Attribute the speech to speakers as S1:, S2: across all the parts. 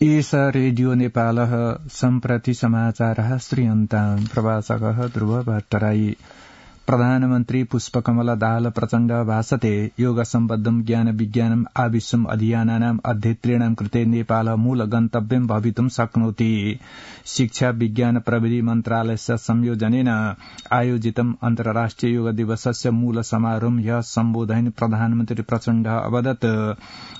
S1: एष रेडियो नेपालः सम्प्रति समाचारः श्रूयन्ताम् प्रवाचकः ध्रुव भट्टराई प्रधानमन्त्री पुष्पकमल दाहाल प्रचण्ड भाषते योग सम्बद्धं ज्ञान विज्ञानम् आविश्वम् अध्ययनानाम् अध्येतॄणां कृते नेपाल मूल गन्तव्यं भवितुं शक्नोति। शिक्षा विज्ञान प्रविधि मन्त्रालयस्य संयोजनेन आयोजितम् अन्तर्राष्ट्रिय योग दिवसस्य मूल समारोहं ह्यः सम्बोधयन् प्रधानमन्त्री प्रचण्ड अवदत्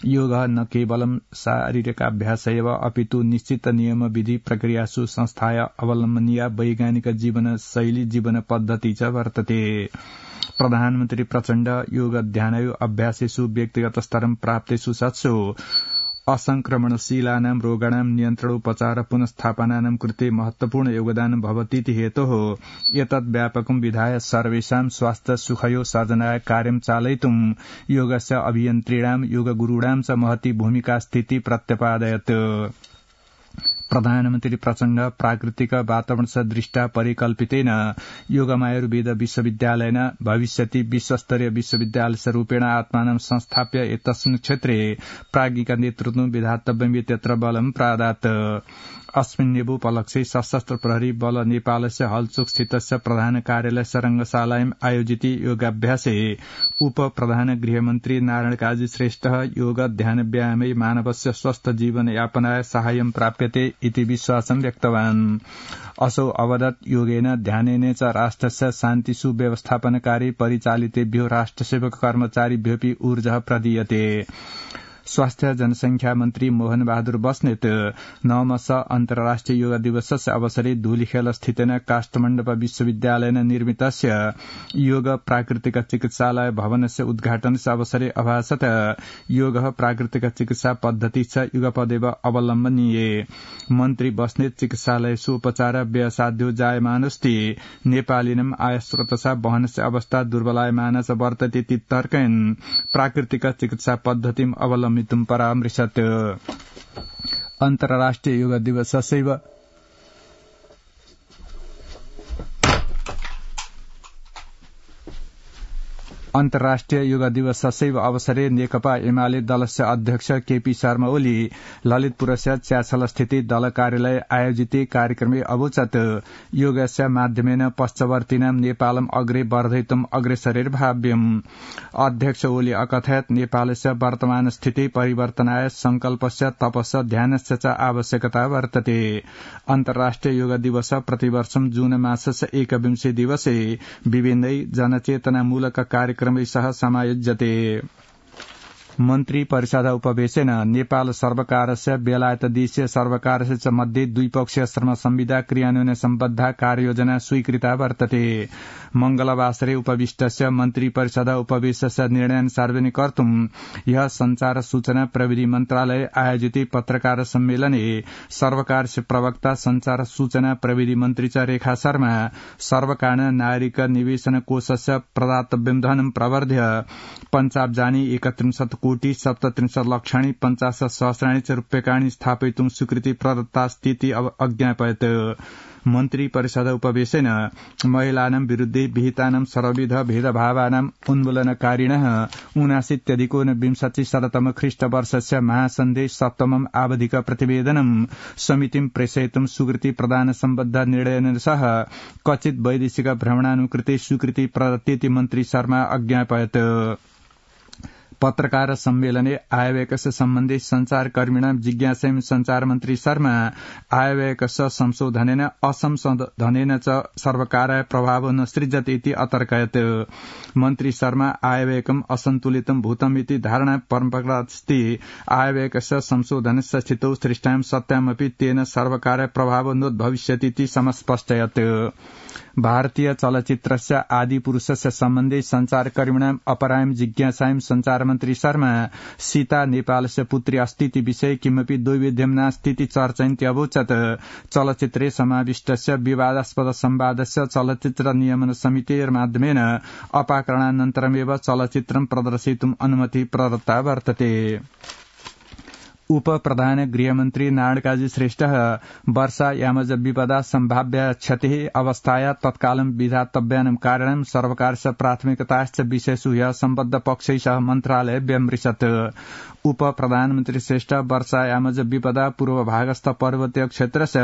S1: योग न केवलं शारीरिकाभ्यास एव अपितु निश्चित नियम विधि प्रक्रियासु संस्थाय अवलम्बनीया वैज्ञानिक जीवन शैली जीवन पद्धति च वर्तते। प्रधानमन्त्री प्रचण्ड योग ध्यानयो अभ्यासेषु व्यक्तिगत स्तरं प्राप्तेषु सत्सु असंक्रमणशीलानां रोगाणां नियन्त्रणोपचार पुनस्थापनानां कृते महत्वपूर्ण योगदानं भवतीति हेतोः एतद् व्यापकं विधाय सर्वेषां स्वास्थ्य सुखयो सर्जनाय कार्यं चालयितुं योगस्य अभियन्त्रीणां योगगुरूणां च महती भूमिका स्थिति प्रत्यपादयत्। प्रधानमन्त्री प्रचण्ड प्राकृतिक वातावरण दृष्टा परिकल्पितेन योगमायुर्वेद विश्वविद्यालयेन भविष्यति विश्वस्तरीय विश्वविद्यालयरूपेण आत्मानं संस्थाप्य एतस्मिन् क्षेत्रे प्राज्ञिक नेतृत्वं विधातव्यम् इत्यत्र बलं प्रादात्। अस्मिन्नेवोपलक्ष्ये सशस्त्र प्रहरी बल नेपालस्य हलचोक स्थितस्य प्रधान कार्यालय रंगशालायां आयोजिते योगाभ्यासे उप प्रधान गृहमन्त्री नारायण काजी श्रेष्ठ योग ध्यान व्यायामे मानवस्य स्वस्थ जीवन यापनाय साहाय्यं प्राप्यते इति विश्वासं व्यक्तवान्। असौ अवदत् योगेन ध्यानेन च राष्ट्रस्य शान्ति सुव्यवस्थापनकारी परिचालितेभ्यो राष्ट्रसेवक कर्मचारिभ्योऽपि ऊर्जः प्रदीयते। स्वास्थ्य जनसंख्या मन्त्री मोहन बहादुर बस्नेत नवमस अन्तर्राष्ट्रिय योग दिवसस्य अवसरे धूलिखेल स्थितेन काष्ठमण्डप विश्वविद्यालयेन निर्मितस्य योग प्राकृतिक चिकित्सालय भवनस्य उद्घाटनस्य अवसरे अभाषत योग प्राकृतिक चिकित्सा पद्धति च युगपदेव अवलम्बनीये। मन्त्री बस्नेत चिकित्सालयेषु उपचार व्ययसाध्यो जायमानस्ति नेपालिनम् आयस्रोतसा वहनस्य अवस्था दुर्बलायमान च वर्तते इति तर्कयन् प्राकृतिक चिकित्सा पद्धतिम् अवलम्बितुं परामृशत्। अन्तर्राष्ट्रिय योग दिवसस्यैव अन्तर्राष्ट्रिय योग दिवसस्यैव अवसरे नेकपा एमाले दलस्य अध्यक्ष केपी शर्मा ओली ललितपुरस्य च्याछलस्थिते दल कार्यालय आयोजिते कार्यक्रमे अवोचत् योगस्य माध्यमेन पश्चवर्तीनां नेपालम् अग्रे वर्धयितुम् अग्रेसरेर्भाव्यम्। अध्यक्ष ओली अकथयत् नेपालस्य वर्तमान स्थिति परिवर्तनाय संकल्पस्य तपस्य ध्यानस्य च आवश्यकता वर्तते। अन्तर्राष्ट्रिय योग दिवस प्रतिवर्षं जून मासस्य 21 दिवसे विभिन्नै जनचेतनामूलक कार्यक्रम सह समायोज्यते। मन्त्री परिषद उपवेशेन नेपाल सर्वकारस्य बेलायतदेशीय सर्वकारस्य च मध्ये द्विपक्षीय श्रम संविदा क्रियान्वयन सम्बद्धा कार्ययोजना स्वीकृता वर्तते। मंगलवासरे उपविष्टस्य मन्त्री परिषद उपवेशस्य निर्णयान् सार्वजनिक कर्तुं ह्यः संचार सूचना प्रविधि मन्त्रालय आयोजिते पत्रकार सम्मेलने सर्वकारस्य प्रवक्ता संचार सूचना प्रविधि मन्त्री च रेखा शर्मा सर्वकारेण नागरिक निवेशन कोषस्य प्रदातव्यं धनं प्रवर्ध्य पञ्चाब्जानि 31 कोटि 37 लक्षाणि 50 सहस्राणि च रूप्यकाणि स्थापयितुं स्वीकृति प्रदत्तास्तीति अज्ञापयत्। मन्त्री परिषद उपवेशेन महिलानां विरुद्धे विहितानां सर्वविध भेदभावानां उन्मूलनकारिणः 79-20 ख्रीष्टवर्षस्य महासन्धे सप्तमम् आवधिक प्रतिवेदनं समितिं प्रेषयितुं स्वीकृति प्रदान सम्बद्ध निर्णयेन सह कथित वैदेशिक भ्रमणानुकृते स्वीकृति प्रदत्तेति मन्त्री शर्मा अज्ञापयत्। पत्रकार सम्मेलने आयव्ययस्य सम्बन्धे संचारकर्मिणां जिज्ञासायां संचार मन्त्री शर्मा आयव्ययस्य संशोधनेन असंशोधनेन च सर्वकाराय प्रभावो न सृज्यते इति अतर्कयत्। मन्त्री शर्मा आयव्ययकम् असन्तुलितं भूतम् इति धारणा परम्परास्ति आयव्ययस्य संशोधनस्य स्थितौ सृष्टायां सत्यामपि तेन सर्वकाराय प्रभावो नोद्भविष्यति इति समस्पष्टयत्। भारतीय चलचित्रस्य आदिपुरुषस्य सम्बन्धे संचारकर्मिणाम् अपरायां जिज्ञासायां संचारमन्त्री शर्मा सीता नेपालस्य पुत्री अस्ति इति विषये किमपि द्वैविध्यं नास्तीति चर्चयन्ती अवोचत्। चलचित्रे समाविष्टस्य विवादास्पद संवादस्य चलचित्र नियमन समितेर्माध्यमेन अपाकरणानन्तरमेव चलचित्रं प्रदर्शयितुम् अनुमति प्रदत्ता वर्तते। उप प्रधान गृहमन्त्री नारायण श्रेष्ठ वर्षा यामज विपदा सम्भाव्य क्षतिः अवस्थाया तत्कालं विधातव्यानां कारणं सर्वकारस्य प्राथमिकताश्च विषयेषु ह्यः सम्बद्ध पक्षैः मन्त्रालय व्यमृशत्। उप प्रधानमन्त्री श्रेष्ठ वर्षा यामज विपदा पूर्वभागस्थ पर्वतीय क्षेत्रस्य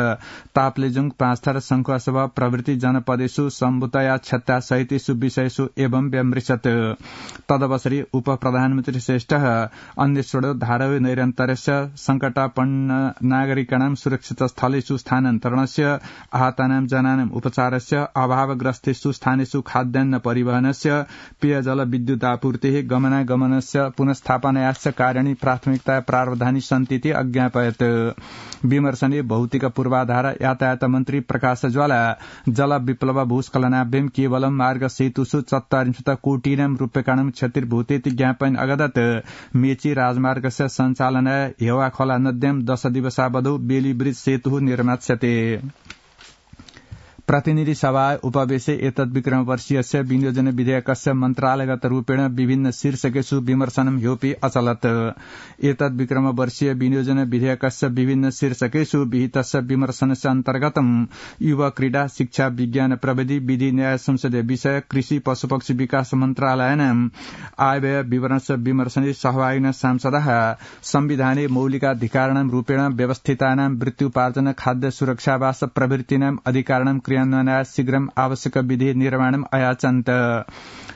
S1: ताप्लेजुङ पाँचथर शङ्खुवासभा प्रभृति जनपदेषु सम्भूतया क्षत्या सहितेषु विषयेषु एवं व्यमृशत्। तदवसरि उप प्रधानमन्त्री श्रेष्ठ अन्वेषणो धारवे नैरन्तर्यस्य संकटापन्न नागरिकाणां सुरक्षित स्थलेषु स्थानान्तरणस्य आहतानां जनानां उपचारस्य अभावग्रस्तेषु स्थानेषु खाद्यान्न परिवहनस्य पेयजल विद्युतापूर्तिः गमनागमनस्य पुनस्थापनायाश्च कार्याणि प्राथमिकता प्रावधानी सन्तीति अज्ञापयत्। विमर्शने भौतिक पूर्वाधार यातायात मन्त्री प्रकाश ज्वाला जल विप्लव भूस्खलनाभ्यां केवलं मार्ग सेतुषु ४४ कोटिनां रूप्यकाणां क्षतिर्भूतेति ज्ञापयन् अगदत् मेची राजमार्गस्य सञ्चालनाय हेवाखोला नद्यां 10 दिवसावधौ बेली ब्रिज सेतुः निर्मास्यते। प्रतिनिधि सभा उपवेशे एतद् विक्रमवर्षीयस्य विनियोजन विधेयकस्य मन्त्रालयगत रूपेण विभिन्न शीर्षकेषु विमर्शनं ह्योपि अचलत्। एतद् विक्रमवर्षीय विनियोजन विधेयकस्य विभिन्न शीर्षकेषु विहितस्य विमर्शनस्य अन्तर्गतं युवा क्रीडा शिक्षा विज्ञान प्रविधि विधि न्याय संसदीय विषय कृषि पशुपक्षी विकास मन्त्रालयानां आयव्यय विवरणस्य विमर्शने सहभागिनः सांसदः संविधाने मौलिकाधिकाराणां रूपेण व्यवस्थितानां वृत्त्युपार्जन खाद्य सुरक्षावास प्रभृतीनां अधिकाराणां क्रियान्वयनाय शीघ्रम् आवश्यक विधि निर्माणम् अयाचन्त।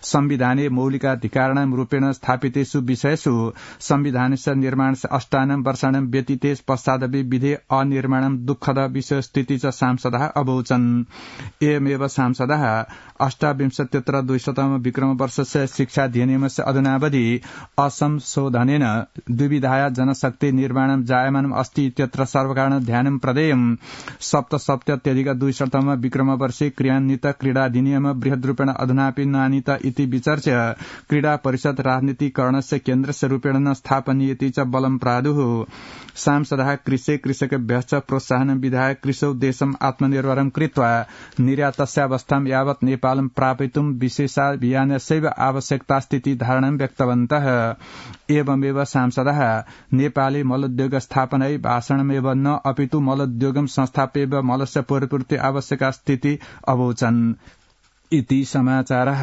S1: संविधाने मौलिकाधिकाराणां रूपेण स्थापितेषु विषयेषु संविधानस्य निर्माणस्य 8 वर्षाणां व्यतीते पश्चादपि विधे अनिर्माणं दुःखद विषयस्थिति च सांसदः अवोचन्। एवमेव सांसदः 28-200 विक्रमवर्षस्य शिक्षाधिनियमस्य अधुनावधि असंशोधनेन द्विविधाया जनशक्ति निर्माणं जायमानम् अस्ति इत्यत्र सर्वकारेण ध्यानं प्रदेयम्। 77-200 विक्रमवर्षे क्रियान्वित क्रीडाधिनियम बृहद्रूपेण अधुनापि नानीत इति विचर्च्य क्रीडा परिषद राजनीतिकरणस्य केन्द्रस्य रूपेण न स्थापनीयति च बलं प्रादुः। सांसदः कृषकेभ्यश्च प्रोत्साहनं विधाय कृषौ देशम् आत्मनिर्भरं कृत्वा निर्यातस्यावस्थां यावत् नेपालं प्रापयितुं विशेषाभियानस्यैव आवश्यकतास्तीति धारणां व्यक्तवन्तः। एवमेव सांसदः नेपाले मलोद्योग स्थापनायै भाषणमेव न अपितु मलोद्योगं संस्थाप्यैव मलस्य परिपूर्ति आवश्यकास्तीति अवोचन्। इति समाचारः।